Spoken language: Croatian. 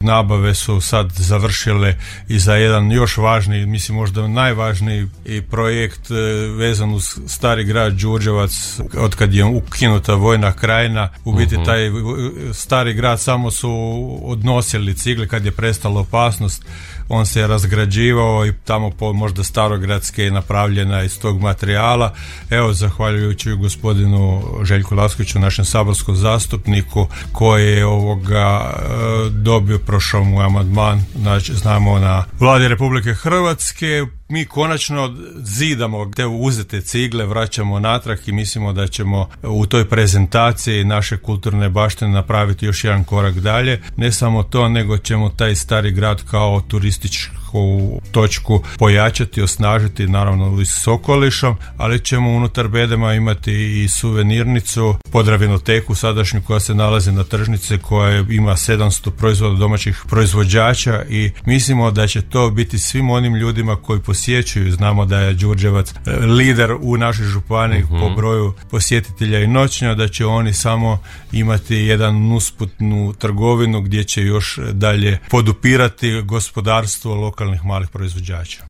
nabave su sad završile i za jedan još važniji, mislim možda najvažniji projekt vezan uz stari grad Đurđevac. Otkad je ukinuta vojna krajina, u biti taj stari grad samo su odnosili cigle kad je prestala opasnost. On se je razgrađivao i tamo možda starogradske je napravljena iz tog materijala. Evo, zahvaljujući gospodinu Željku Laskoviću, našem saborskom zastupniku, koji je dobio, prošao mu amandman, znači znamo na Vladi Republike Hrvatske. Mi konačno zidamo te uzete cigle, vraćamo natrag i mislimo da ćemo u toj prezentaciji naše kulturne baštine napraviti još jedan korak dalje. Ne samo to, nego ćemo taj stari grad kao turističku točku pojačati, osnažiti, naravno i s okolišom, ali ćemo unutar bedema imati i suvenirnicu, Podravinoteku sadašnju koja se nalazi na tržnici, koja ima 700 proizvoda domaćih proizvođača i mislimo da će to biti svim onim ljudima koji posjećuju. Znamo da je Đurđevac lider u našoj županiji po broju posjetitelja i noćnja, da će oni samo imati jedan usputnu trgovinu gdje će još dalje podupirati gospodarstvo lokalnih malih proizvođača.